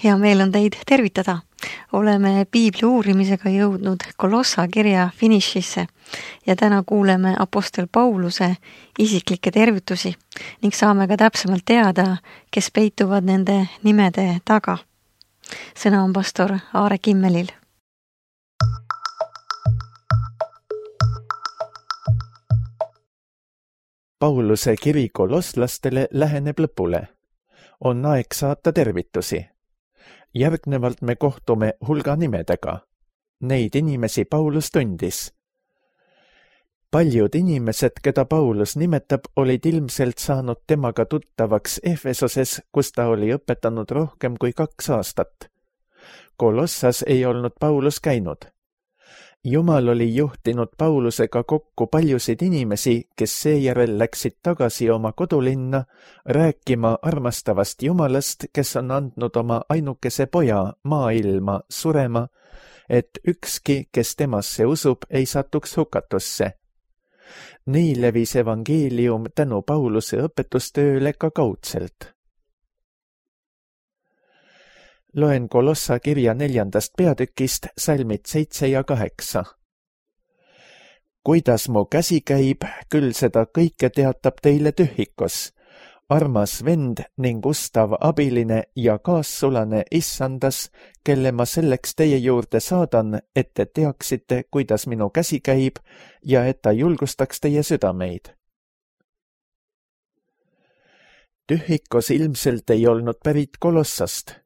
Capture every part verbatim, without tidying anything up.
Hea meel on teid tervitada. Oleme piibli uurimisega jõudnud Kolossa kirja finišisse ja täna kuuleme apostel Pauluse isiklikke tervitusi ning saame ka täpsemalt teada, kes peituvad nende nimede taga. Sõna on pastor Aare Kimmelil. Pauluse kiri kolosslastele läheneb lõpule. On aeg saata tervitusi. Järgnevalt me kohtume hulga nimedega. Neid inimesi Paulus tundis. Paljud inimesed, keda Paulus nimetab, olid ilmselt saanud temaga tuttavaks Efesoses, kus ta oli õpetanud rohkem kui kaks aastat. Kolossas ei olnud Paulus käinud. Jumal oli juhtinud Paulusega kokku paljusid inimesi, kes seejärel läksid tagasi oma kodulinna rääkima armastavast Jumalast, kes on andnud oma ainukese poja maailma surema, et ükski, kes temasse usub, ei satuks hukatusse. Nii levis evangeelium tänu Pauluse õpetustööle ka kaudselt. Loen Kolossa kirja neljandast peatükist salmid seitse ja kaheksa. Kuidas mu käsi käib, küll seda kõike teatab teile Tühikos, armas vend ning ustav abiline ja kaassulane issandas, kelle ma selleks teie juurde saadan, et te teaksite, kuidas minu käsi käib ja et ta julgustaks teie südameid. Tühikos ilmselt ei olnud pärit Kolossast.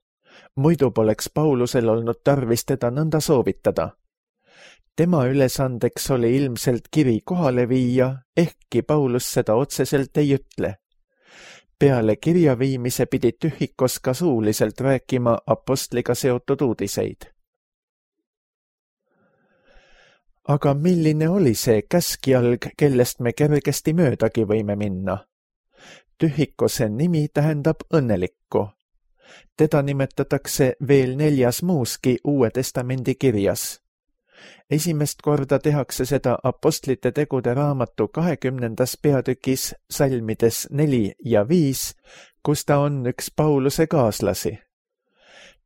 Muidu poleks Paulusel olnud tarvis teda nõnda soovitada. Tema ülesandeks oli ilmselt kiri kohale viia, ehkki Paulus seda otseselt ei ütle. Peale kirja viimise pidi Tühikos ka suuliselt rääkima apostliga seotud uudiseid. Aga milline oli see käskjalg, kellest me kergesti möödagi võime minna? Tühikose nimi tähendab õnnelikku. Teda nimetatakse veel neljas muuski Uue Testamendi kirjas. Esimest korda tehakse seda apostlite tegude raamatu kahekümnendas peatükis salmides neli ja viis, kus ta on üks Pauluse kaaslasi.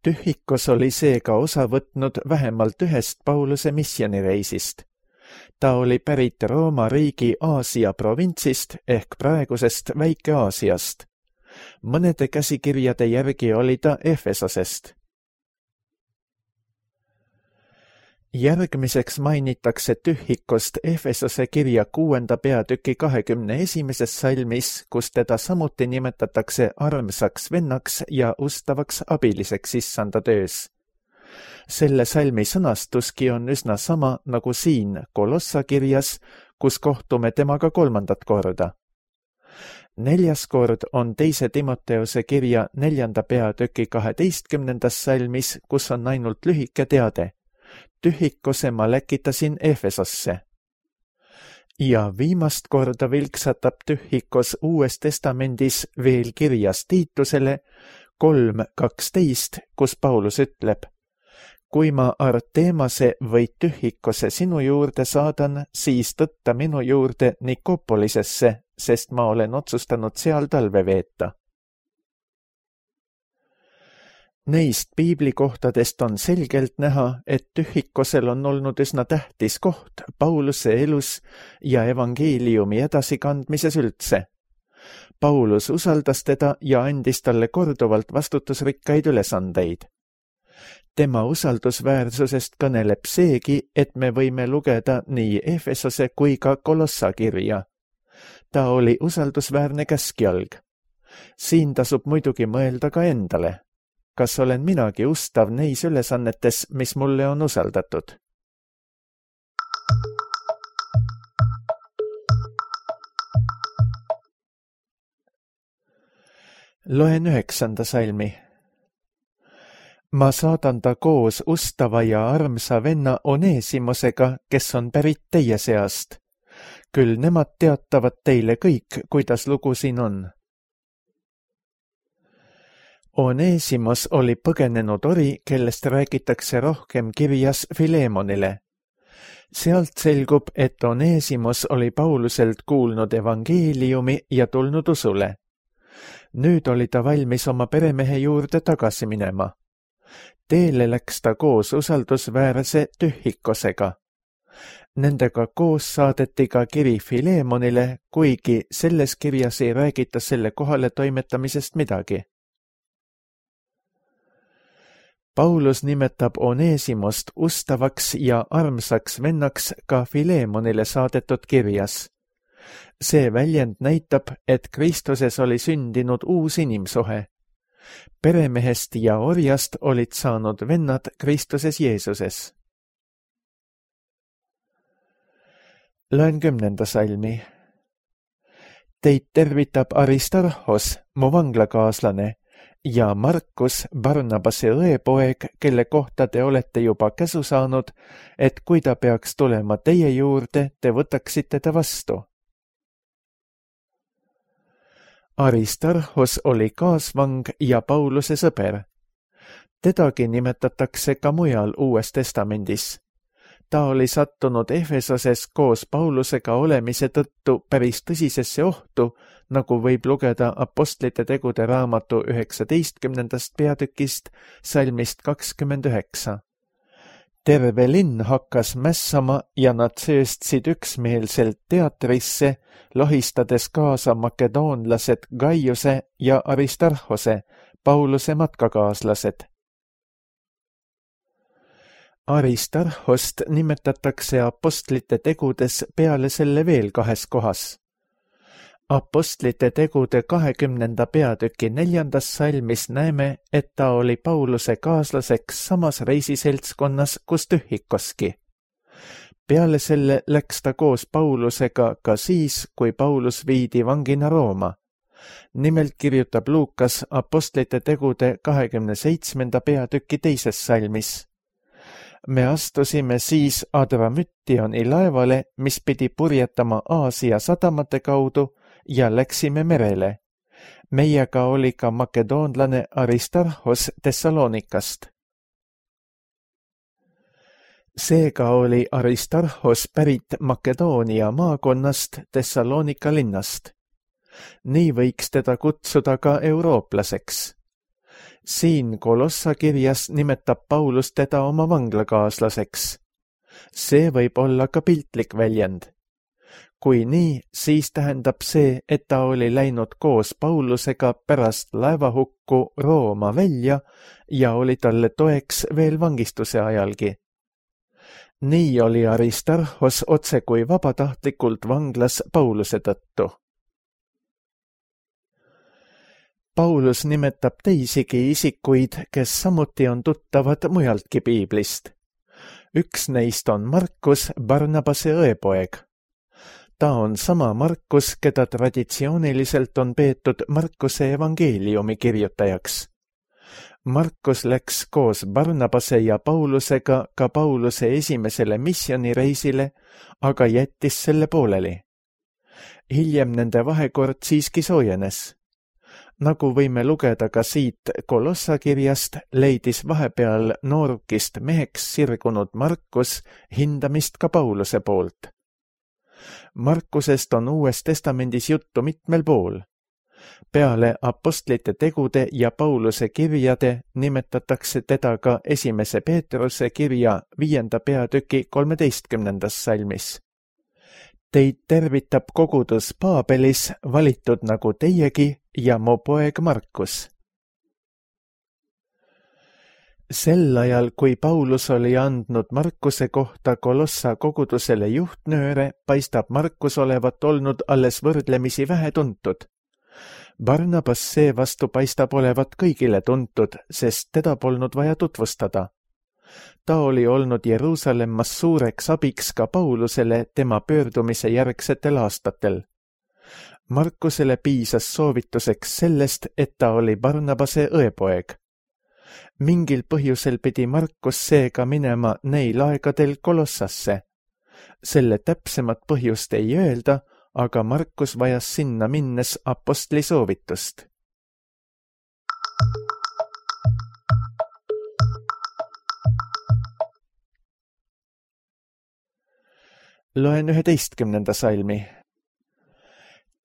Tühikos oli seega osa võtnud vähemalt ühest Pauluse missioonireisist. Ta oli pärit Rooma riigi Aasia provintsist ehk praegusest Väike-Aasiast. Mõnede käsikirjade järgi oli ta Efesosest. Järgmiseks mainitakse Tühikost Efesose kirja kuuenda peatüki kahekümne esimeses salmis, kus teda samuti nimetatakse armsaks vennaks ja ustavaks abiliseks issanda töös. Selle salmi sõnastuski on üsna sama nagu siin Kolossa kirjas, kus kohtume temaga kolmandat korda. Neljas kord on teise Timoteuse kirja neljanda peatüki kaheteistkümnendas salmis, kus on ainult lühike teade. Tühikose ma läkitasin Efesosse. Ja viimast korda vilksatab Tühikos Uues Testamendis veel kirjas Tiitusele kolm kaksteist, kus Paulus ütleb: Kui ma Artemase või Tühikose sinu juurde saadan, siis tõtta minu juurde Nikopolisesse, sest ma olen otsustanud seal talve veeta. Neist piiblikohtadest on selgelt näha, et Tühikosel on olnud üsna tähtis koht Pauluse elus ja evangeeliumi edasikandmises üldse. Paulus usaldas teda ja andis talle korduvalt vastutusrikkaid ülesandeid. Tema usaldusväärsusest kõneleb seegi, et me võime lugeda nii Efesose kui ka Kolossa kirja. Ta oli usaldusväärne käskjalg. Siin tasub muidugi mõelda ka endale. Kas olen minagi ustav neis ülesannetes, mis mulle on usaldatud? Loen üheksanda salmi. Ma saadan ta koos ustava ja armsa venna Onesimosega, kes on pärit teie seast. Küll nemad teatavad teile kõik, kuidas lugu siin on. Onesimos oli põgenenud ori, kellest räägitakse rohkem kirjas Filemonile. Sealt selgub, et Onesimos oli Pauluselt kuulnud evangeeliumi ja tulnud usule. Nüüd oli ta valmis oma peremehe juurde tagasi minema. teele läks ta koos usaldusväärse Tühhikosega. Nendega koos saadeti ka kiri Filemonile, kuigi selles kirjas ei räägita selle kohale toimetamisest midagi. Paulus nimetab Onesimost ustavaks ja armsaks vennaks ka Filemonile saadetud kirjas. See väljend näitab, et Kristuses oli sündinud uus inimsuhe. Peremehest ja orjast olid saanud vennad Kristuses Jeesuses. Loen kümnenda salmi. Teid tervitab Aristarhos, mu vanglakaaslane, ja Markus, Barnabase õepoeg, kelle kohta te olete juba käsu saanud, et kui ta peaks tulema teie juurde, te võtaksite ta vastu. Aristarhos oli kaasvang ja Pauluse sõber. Tedagi nimetatakse ka mujal Uues Testamendis. Ta oli sattunud Efesoses koos Paulusega olemise tõttu päris tõsisesse ohtu, nagu võib lugeda Apostlite tegude raamatu üheksateistkümnendast peatükist salmist kakskümmend üheksa. Terve linn hakkas mässama ja nad sööstsid üksmeelselt teatrisse, lohistades kaasa makedoonlased Gaiuse ja Aristarhose, Pauluse matkakaaslased. Aristarhost nimetatakse Apostlite tegudes peale selle veel kahes kohas. Apostlite tegude kahekümnenda peatüki neljandas salmis näeme, et ta oli Pauluse kaaslaseks samas reisiseltskonnas, kus Tühhikoski. Peale selle läks ta koos Paulusega ka siis, kui Paulus viidi vangina Rooma. Nimelt kirjutab Luukas Apostlite tegude kahekümne seitsmenda peatüki teises salmis. Me astusime siis Adramütioni laevale, mis pidi purjetama Aasia sadamate kaudu, ja läksime merele. Meiega oli ka makedoonlane Aristarhos Thessalonikast. Seega oli Aristarhos pärit Makedoonia maakonnast Thessalonika linnast. Nii võiks teda kutsuda ka eurooplaseks. Siin Kolossa kirjas nimetab Paulus teda oma vanglakaaslaseks. See võib olla ka piltlik väljend. Kui nii, siis tähendab see, et ta oli läinud koos Paulusega pärast laevahukku Rooma välja ja oli talle toeks veel vangistuse ajalgi. Nii oli Aristarhos otse kui vabatahtlikult vanglas Pauluse tõttu. Paulus nimetab teisigi isikuid, kes samuti on tuttavad mujaltki piiblist. Üks neist on Markus, Barnabase õepoeg. Ta on sama Markus, keda traditsiooniliselt on peetud Markuse evangeeliumi kirjutajaks. Markus läks koos Barnabase ja Paulusega ka Pauluse esimesele missionireisile, aga jättis selle pooleli. Hiljem nende vahekord siiski soojenes. Nagu võime lugeda ka siit Kolossa kirjast, leidis vahepeal noorukist meheks sirgunud Markus hindamist ka Pauluse poolt. Markusest on Uues Testamendis juttu mitmel pool. Peale Apostlite tegude ja Pauluse kirjade nimetatakse teda ka esimese Peetruse kirja viienda peatüki kolmeteistkümnendas salmis. Teid tervitab kogudus Paabelis, valitud nagu teiegi, ja mu poeg Markus. Sel ajal, kui Paulus oli andnud Markuse kohta Kolossa kogudusele juhtnööre, paistab Markus olevat olnud alles võrdlemisi vähe tuntud. Barnabas seevastu paistab olevat kõigile tuntud, sest teda polnud vaja tutvustada. Ta oli olnud Jeruusalemmas suureks abiks ka Paulusele tema pöördumise järgsetel aastatel. Markusele piisas soovituseks sellest, et ta oli Barnabase õepoeg. Mingil põhjusel pidi Markus seega minema neil aegadel Kolossasse. Selle täpsemat põhjust ei öelda, aga Markus vajas sinna minnes apostli soovitust. Loen üheteistkümnenda salmi.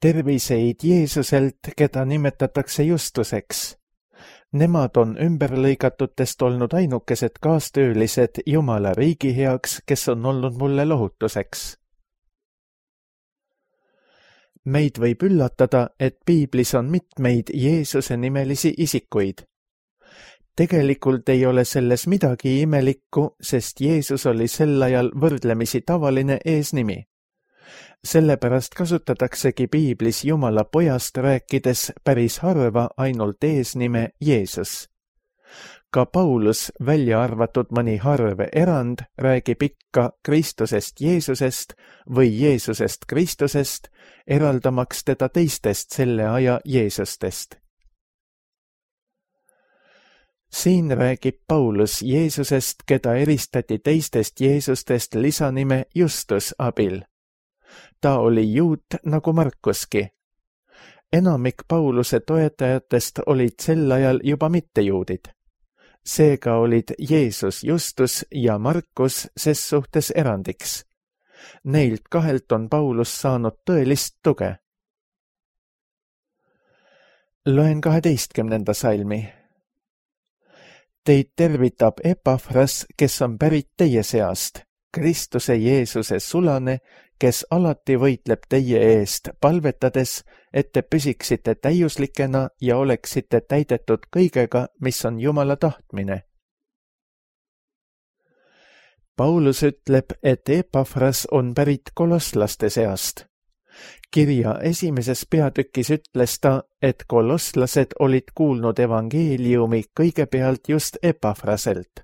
Terviseid Jeesuselt, keda nimetatakse Justuseks. Nemad on ümberlõigatutest olnud ainukesed kaastöölised Jumala riigi heaks, kes on olnud mulle lohutuseks. Meid võib üllatada, et piiblis on mitmeid Jeesuse nimelisi isikuid. Tegelikult ei ole selles midagi imelikku, sest Jeesus oli sel ajal võrdlemisi tavaline eesnimi. Sellepärast kasutataksegi piiblis Jumala pojast rääkides päris harva ainult eesnime Jeesus. Ka Paulus, välja arvatud mõni harv erand, räägib ikka Kristusest Jeesusest või Jeesusest Kristusest, eraldamaks teda teistest selle aja Jeesustest. Siin räägib Paulus Jeesusest, keda eristati teistest Jeesustest lisanime Justus abil. Ta oli juut nagu Markuski. Enamik Pauluse toetajatest olid sel ajal juba mittejuudid. Seega olid Jeesus Justus ja Markus ses suhtes erandiks. Neilt kahelt on Paulus saanud tõelist tuge. Loen kaheteistkümnenda salmi. Teid tervitab Epafras, kes on pärit teie seast, Kristuse Jeesuse sulane, kes alati võitleb teie eest, palvetades, et te püsiksite täiuslikena ja oleksite täidetud kõigega, mis on Jumala tahtmine. Paulus ütleb, et Epafras on pärit kolosslaste seast. Kirja esimeses peatükis ütles ta, et kolosslased olid kuulnud evangeeliumi kõigepealt just Epafraselt.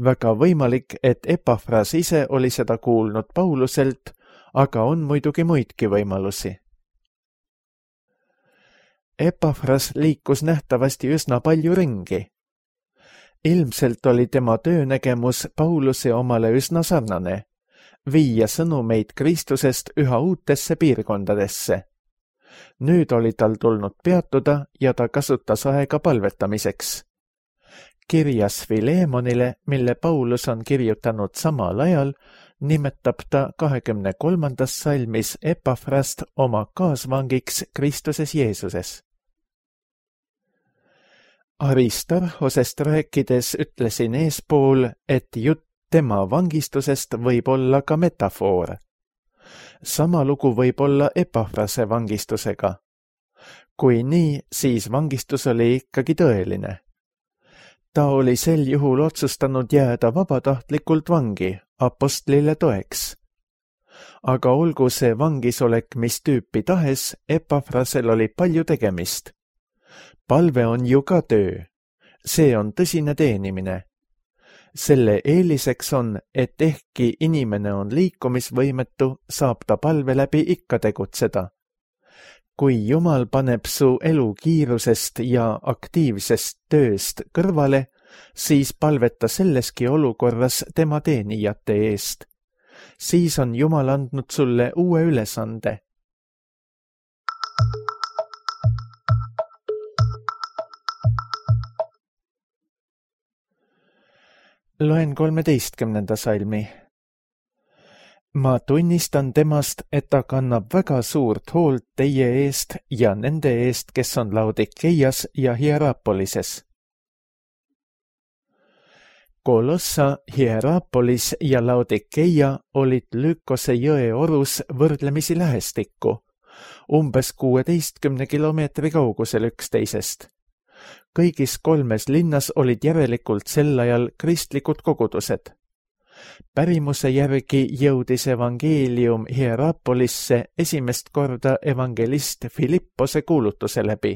Väga võimalik, et Epafras ise oli seda kuulnud Pauluselt, aga on muidugi muidki võimalusi. Epafras liikus nähtavasti üsna palju ringi. Ilmselt oli tema töönägemus Pauluse omale üsna sarnane, viia sõnumeid Kristusest üha uutesse piirkondadesse. Nüüd oli tal tulnud peatuda ja ta kasutas aega palvetamiseks. Kirjas Filemonile, mille Paulus on kirjutanud samal ajal, nimetab ta kahekümne kolmandas salmis Epafrast oma kaasvangiks Kristuses Jeesuses. Aristarhosest rääkides ütlesin eespool, et jutt tema vangistusest võib olla ka metafoor. Sama lugu võib olla Epafrase vangistusega. Kui nii, siis vangistus oli ikkagi tõeline. Ta oli sel juhul otsustanud jääda vabatahtlikult vangi, apostlile toeks. Aga olgu see vangisolek mis tüüpi tahes, Epafrasel oli palju tegemist. Palve on ju ka töö. See on tõsine teenimine. Selle eeliseks on, et ehkki inimene on liikumisvõimetu, saab ta palve läbi ikka tegutseda. Kui Jumal paneb su elu kiirusest ja aktiivsest tööst kõrvale, siis palveta selleski olukorras tema teenijate eest. Siis on Jumal andnud sulle uue ülesande. Loen kolmeteistkümnenda salmi. Ma tunnistan temast, et ta kannab väga suurt hoolt teie eest ja nende eest, kes on Laodikeias ja Hierapolises. Kolossa, Hierapolis ja Laodikeia olid Lykose jõe orus võrdlemisi lähestikku, umbes kuueteistkümne kilomeetri kaugusel üksteisest. Kõigis kolmes linnas olid järelikult sel ajal kristlikud kogudused. Pärimuse järgi jõudis evangeelium Hierapolisse esimest korda evangelist Filippose kuulutuse läbi.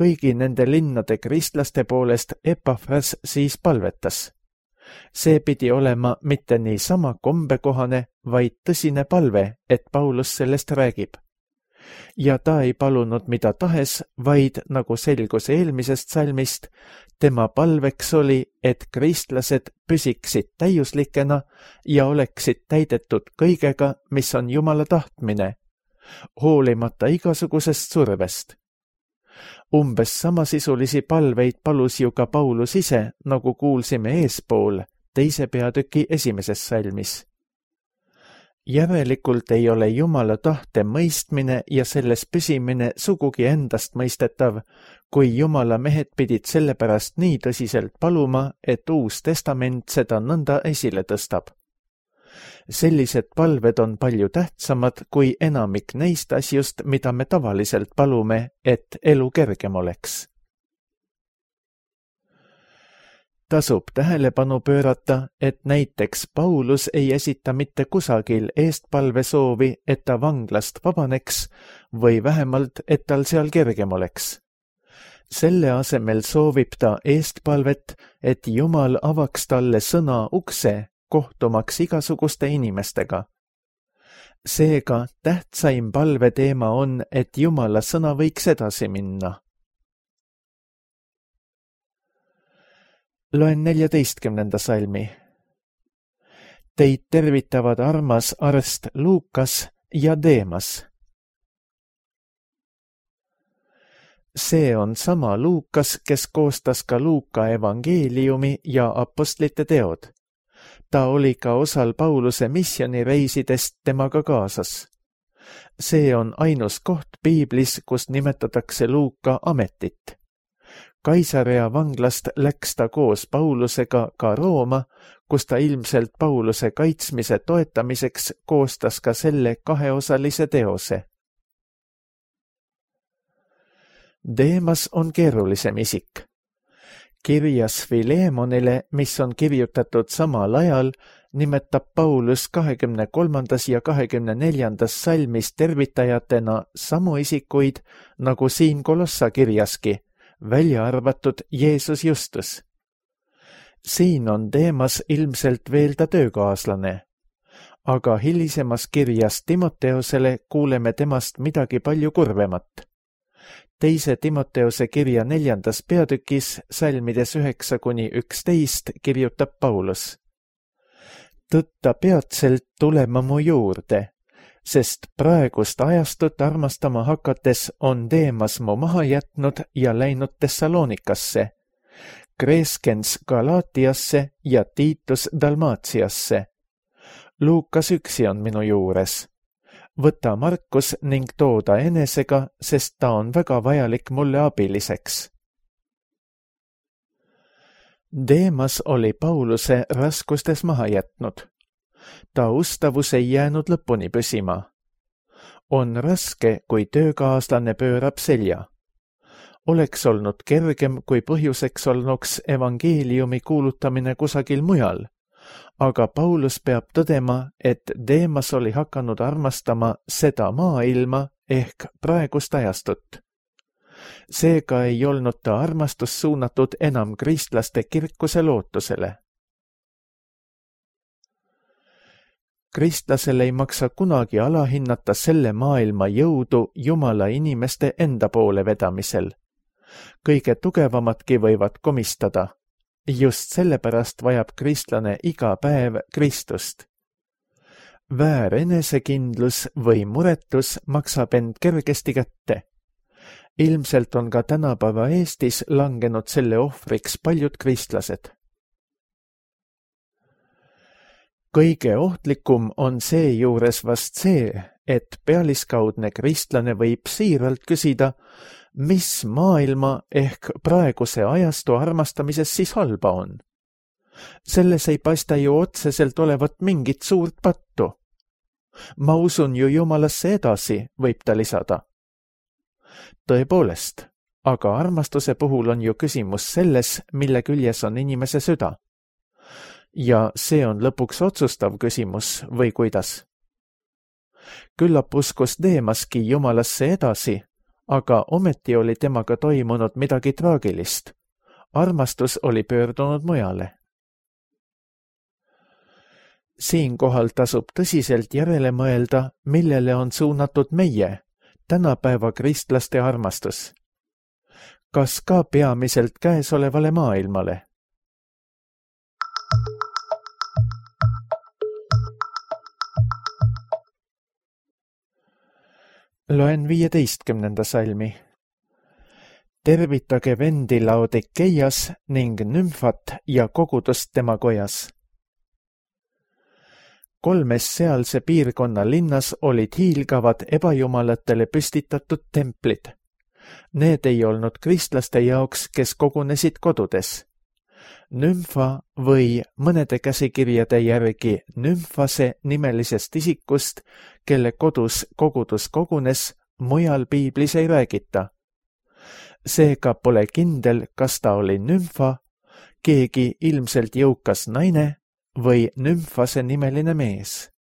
Kõigi nende linnade kristlaste poolest Epafras siis palvetas. See pidi olema mitte niisama kombekohane, vaid tõsine palve, et Paulus sellest räägib. Ja ta ei palunud mida tahes, vaid, nagu selgus eelmisest salmist, tema palveks oli, et kristlased püsiksid täiuslikena ja oleksid täidetud kõigega, mis on Jumala tahtmine, hoolimata igasugusest survest. Umbes samasisulisi palveid palus ju ka Paulus ise, nagu kuulsime eespool, teise peatüki esimeses salmis. Järelikult ei ole Jumala tahte mõistmine ja selles püsimine sugugi endast mõistetav, kui Jumala mehed pidid sellepärast nii tõsiselt paluma, et Uus Testament seda nõnda esile tõstab. Sellised palved on palju tähtsamad kui enamik neist asjust, mida me tavaliselt palume, et elu kergem oleks. Tasub tähelepanu pöörata, et näiteks Paulus ei esita mitte kusagil eestpalve soovi, et ta vanglast vabaneks või vähemalt, et tal seal kergem oleks. Selle asemel soovib ta eestpalvet, et Jumal avaks talle sõna ukse, kohtumaks igasuguste inimestega. Seega tähtsaim palve teema on, et Jumala sõna võiks edasi minna. Loen neljateistkümnenda salmi. Teid tervitavad armas arst Luukas ja Deemas. See on sama Luukas, kes koostas ka Luuka evangeeliumi ja apostlite teod. Ta oli ka osal Pauluse missioonireisidest temaga kaasas. See on ainus koht piiblis, kus nimetatakse Luuka ametit. Kaisarea vanglast läks ta koos Paulusega ka Rooma, kus ta ilmselt Pauluse kaitsmise toetamiseks koostas ka selle kaheosalise teose. Deemas on keerulisem isik. Kirjas Filemonile, mis on kirjutatud samal ajal, nimetab Paulus kahekümne kolmandas ja kahekümne neljandas salmis tervitajatena samu isikuid, nagu siin Kolossa kirjaski, välja arvatud Jeesus Justus. Siin on Deemas ilmselt veel ta töökaaslane, aga hilisemas kirjas Timoteosele kuuleme temast midagi palju kurvemat. Teise Timoteose kirja neljandas peatükis, salmides üheksa kuni üksteist, kirjutab Paulus. Tõtta peatselt tulema mu juurde, sest praegust ajastut armastama hakates on Deemas mu maha jätnud ja läinud Thessalonikasse, Kreskens Galaatiasse ja Tiitus Dalmatiasse. Luukas üksi on minu juures. Võta Markus ning tooda enesega, sest ta on väga vajalik mulle abiliseks. Deemas oli Pauluse raskustes maha jätnud. Ta ustavus ei jäänud lõpuni püsima. On raske, kui töökaaslane pöörab selja. Oleks olnud kergem, kui põhjuseks olnuks evangeeliumi kuulutamine kusagil mujal, aga Paulus peab tõdema, et Deemas oli hakanud armastama seda maailma ehk praegust ajastut. Seega ei olnud ta armastus suunatud enam kristlaste kirkuse lootusele. Kristlasel ei maksa kunagi alahinnata selle maailma jõudu Jumala inimeste enda poole vedamisel. Kõige tugevamadki võivad komistada. Just sellepärast vajab kristlane iga päev Kristust. Väär enesekindlus või muretus maksab end kergesti kätte. Ilmselt on ka tänapäeva Eestis langenud selle ohvriks paljud kristlased. Kõige ohtlikum on seejuures vast see, et pealiskaudne kristlane võib siiralt küsida, mis maailma ehk praeguse ajastu armastamises siis halba on. Selles ei paista ju otseselt olevat mingit suurt pattu. Ma usun ju Jumalasse edasi, võib ta lisada. Tõepoolest, aga armastuse puhul on ju küsimus selles, mille küljes on inimese süda. Ja see on lõpuks otsustav küsimus või kuidas. Küllap uskus Deemaski Jumalasse edasi, aga ometi oli temaga toimunud midagi traagilist. Armastus oli pöördunud mujale. Siinkohal tasub tõsiselt järele mõelda, millele on suunatud meie, tänapäeva kristlaste armastus. Kas ka peamiselt käesolevale maailmale? Loen viieteistkümnenda salmi. Tervitage vendi Laodikeias ning Nümfat ja kogudust tema kojas. kolmes sealse piirkonna linnas olid hiilgavad ebajumalatele püstitatud templid. Need ei olnud kristlaste jaoks, kes kogunesid kodudes. Nümfa või mõnede käsikirjade järgi Nümfase nimelisest isikust, kelle kodus kogudus kogunes, mujal piiblis ei räägita. Seega pole kindel, kas ta oli Nümfa, keegi ilmselt jõukas naine või Nümfase nimeline mees.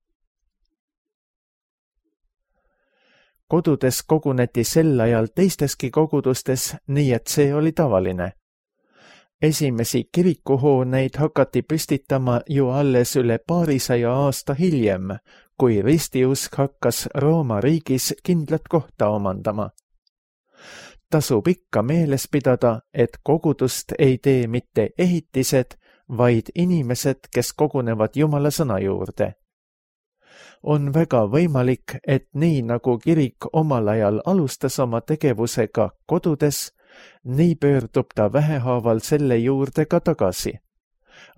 Kodudes koguneti sel ajal teisteski kogudustes, nii et see oli tavaline. Esimesi kirikuhooneid hakati püstitama ju alles üle paarisaja aasta hiljem, kui ristiusk hakkas Rooma riigis kindlat kohta omandama. Tasub ikka meeles pidada, et kogudust ei tee mitte ehitised, vaid inimesed, kes kogunevad Jumala sõna juurde. On väga võimalik, et nii nagu kirik omal ajal alustas oma tegevusega kodudes, nii pöördub ta vähehaaval selle juurde ka tagasi.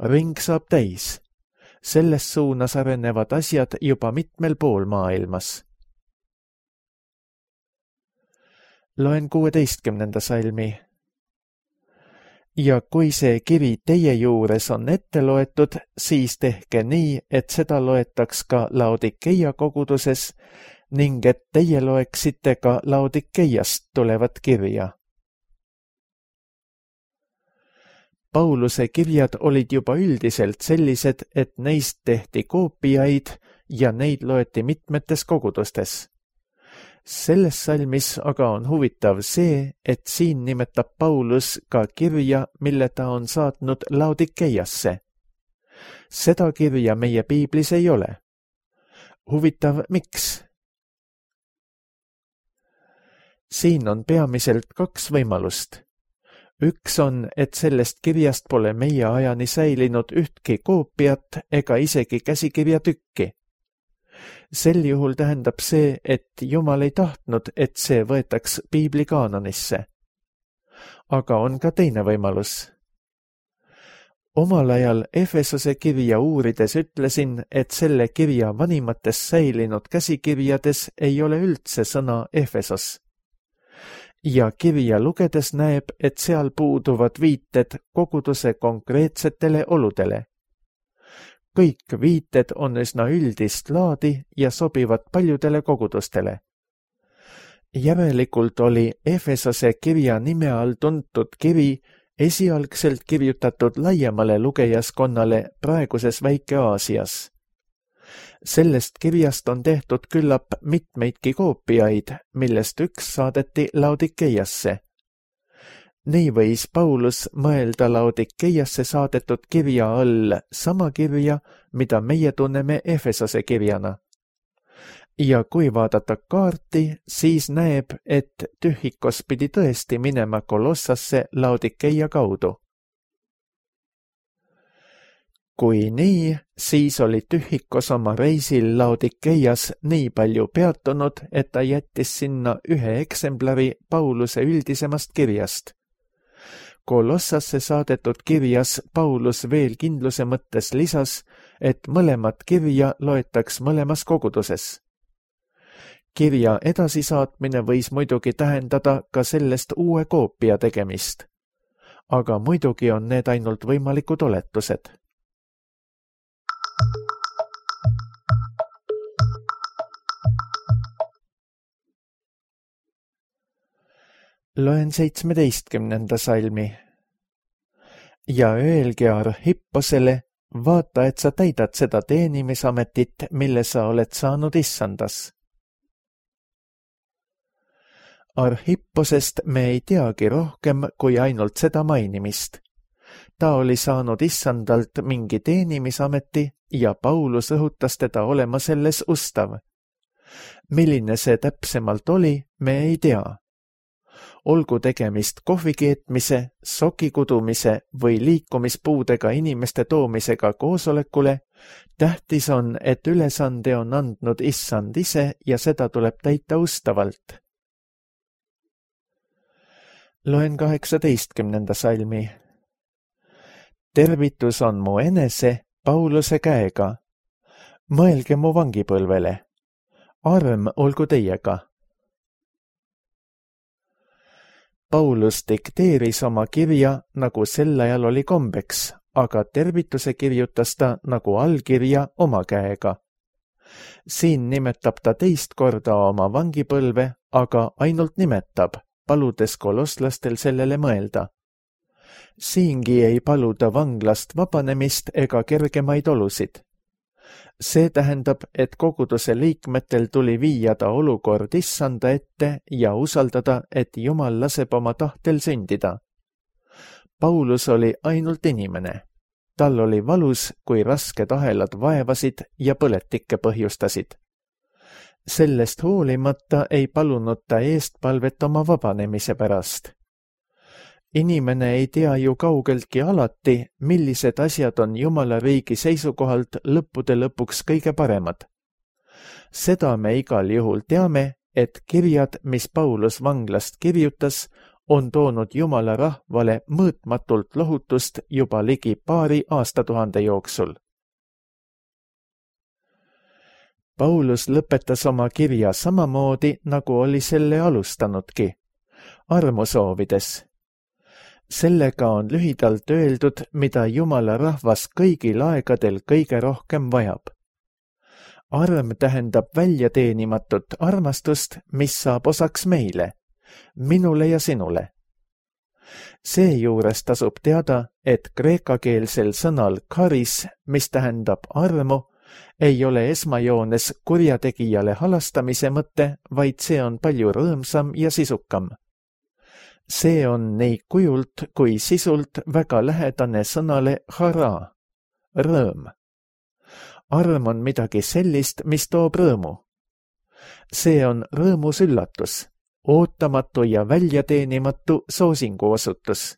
Ring saab täis. Selles suunas arenevad asjad juba mitmel pool maailmas. Loen kuueteistkümnenda salmi. Ja kui see kiri teie juures on ette loetud, siis tehke nii, et seda loetaks ka Laodikeia koguduses ning et teie loeksite ka Laodikeiast tulevat kirja. Pauluse kirjad olid juba üldiselt sellised, et neist tehti koopiaid ja neid loeti mitmetes kogudustes. Selles salmis aga on huvitav see, et siin nimetab Paulus ka kirja, mille ta on saatnud Laodikeiasse. Seda kirja meie piiblis ei ole. Huvitav, miks? Siin on peamiselt kaks võimalust. Üks on, et sellest kirjast pole meie ajani säilinud ühtki koopiat ega isegi käsikirja tükki. Sel juhul tähendab see, et Jumal ei tahtnud, et see võetaks piibli kaanonisse. Aga on ka teine võimalus. Omal ajal Efesose kirja uurides ütlesin, et selle kirja vanimates säilinud käsikirjades ei ole üldse sõna Efesos. Ja kirja lugedes näeb, et seal puuduvad viited koguduse konkreetsetele oludele. Kõik viited on üsna üldist laadi ja sobivad paljudele kogudustele. Järelikult oli Efesose kirja nime all tuntud kiri esialgselt kirjutatud laiemale lugejaskonnale praeguses Väike-Aasias. Sellest kirjast on tehtud küllap mitmeidki koopiaid, millest üks saadeti Laodikeiasse. Nii võis Paulus mõelda Laodikeiasse saadetud kirja all sama kirja, mida meie tunneme Efesose kirjana. Ja kui vaadata kaarti, siis näeb, et Tühikos pidi tõesti minema Kolossasse Laodikeia kaudu. Kui nii, siis oli Tühikos oma reisil Laodikeias nii palju peatunud, et ta jättis sinna ühe eksemplari Pauluse üldisemast kirjast. Kolossasse saadetud kirjas Paulus veel kindluse mõttes lisas, et mõlemat kirja loetaks mõlemas koguduses. Kirja edasisaatmine võis muidugi tähendada ka sellest uue koopia tegemist. Aga muidugi on need ainult võimalikud oletused. Loen seitsmeteistkümnenda salmi. Ja öelge Arhipposele, vaata, et sa täidad seda teenimisametit, mille sa oled saanud issandas. Arhipposest me ei teagi rohkem kui ainult seda mainimist. Ta oli saanud issandalt mingi teenimisameti ja Paulus õhutas teda olema selles ustav. Milline see täpsemalt oli, me ei tea. Olgu tegemist kohvi keetmise, soki kudumise või liikumispuudega inimeste toomisega koosolekule, tähtis on, et ülesande on andnud issand ise ja seda tuleb täita ustavalt. Loen kaheksateistkümnenda salmi. Tervitus on mu enese Pauluse käega. mõelge mu vangipõlvele. Arm olgu teiega. Paulus dikteeris oma kirja, nagu sel ajal oli kombeks, aga tervituse kirjutas ta nagu allkirja oma käega. Siin nimetab ta teist korda oma vangipõlve, aga ainult nimetab, paludes koloslastel sellele mõelda. Siingi ei paluda vanglast vabanemist ega kergemaid olusid. See tähendab, et koguduse liikmetel tuli viia ta olukord issanda ette ja usaldada, et Jumal laseb oma tahtel sündida. Paulus oli ainult inimene. Tal oli valus, kui rasked ahelad vaevasid ja põletikke põhjustasid. Sellest hoolimata ei palunud ta eestpalvet oma vabanemise pärast. Inimene ei tea ju kaugeltki alati, millised asjad on Jumala riigi seisukohalt lõppude lõpuks kõige paremad. Seda me igal juhul teame, et kirjad, mis Paulus vanglast kirjutas, on toonud Jumala rahvale mõõtmatult lohutust juba ligi paari aastatuhande jooksul. Paulus lõpetas oma kirja samamoodi, nagu oli selle alustanudki, armu soovides. Sellega on lühidalt öeldud, mida Jumala rahvas kõigil aegadel kõige rohkem vajab. Arm tähendab väljateenimatut armastust, mis saab osaks meile, minule ja sinule. Seejuures tasub teada, et kreekakeelsel sõnal karis, mis tähendab armu, ei ole esmajoones kurjategijale halastamise mõte, vaid see on palju rõõmsam ja sisukam. See on nii kujult kui sisult väga lähedane sõnale hara, rõõm. Arm on midagi sellist, mis toob rõõmu. See on rõõmus üllatus, ootamatu ja väljateenimatu soosingu osutus.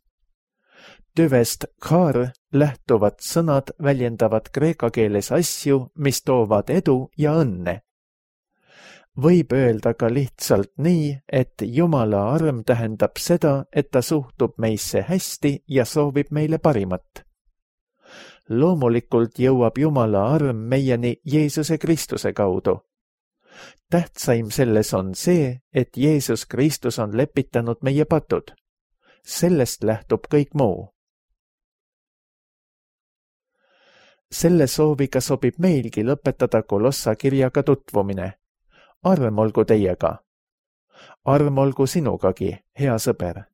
Tüvest kar lähtuvad sõnad väljendavad kreeka keeles asju, mis toovad edu ja õnne. Võib öelda ka lihtsalt nii, et Jumala arm tähendab seda, et ta suhtub meisse hästi ja soovib meile parimat. Loomulikult jõuab Jumala arm meieni Jeesuse Kristuse kaudu. Tähtsaim selles on see, et Jeesus Kristus on lepitanud meie patud. Sellest lähtub kõik muu. Selle sooviga sobib meilgi lõpetada Kolossa kirjaga tutvumine. Arm olgu teiega. Arm olgu sinugagi, hea sõber.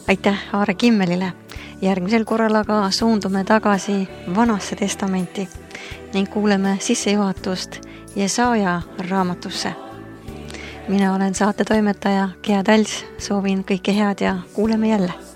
Aitäh Aare Kimmelile. Järgmisel korral aga suundume tagasi Vanasse testamenti ning kuuleme sissejuhatust Jesaja raamatusse. Mina olen saate toimetaja Gea Täls, soovin kõike head ja kuuleme jälle.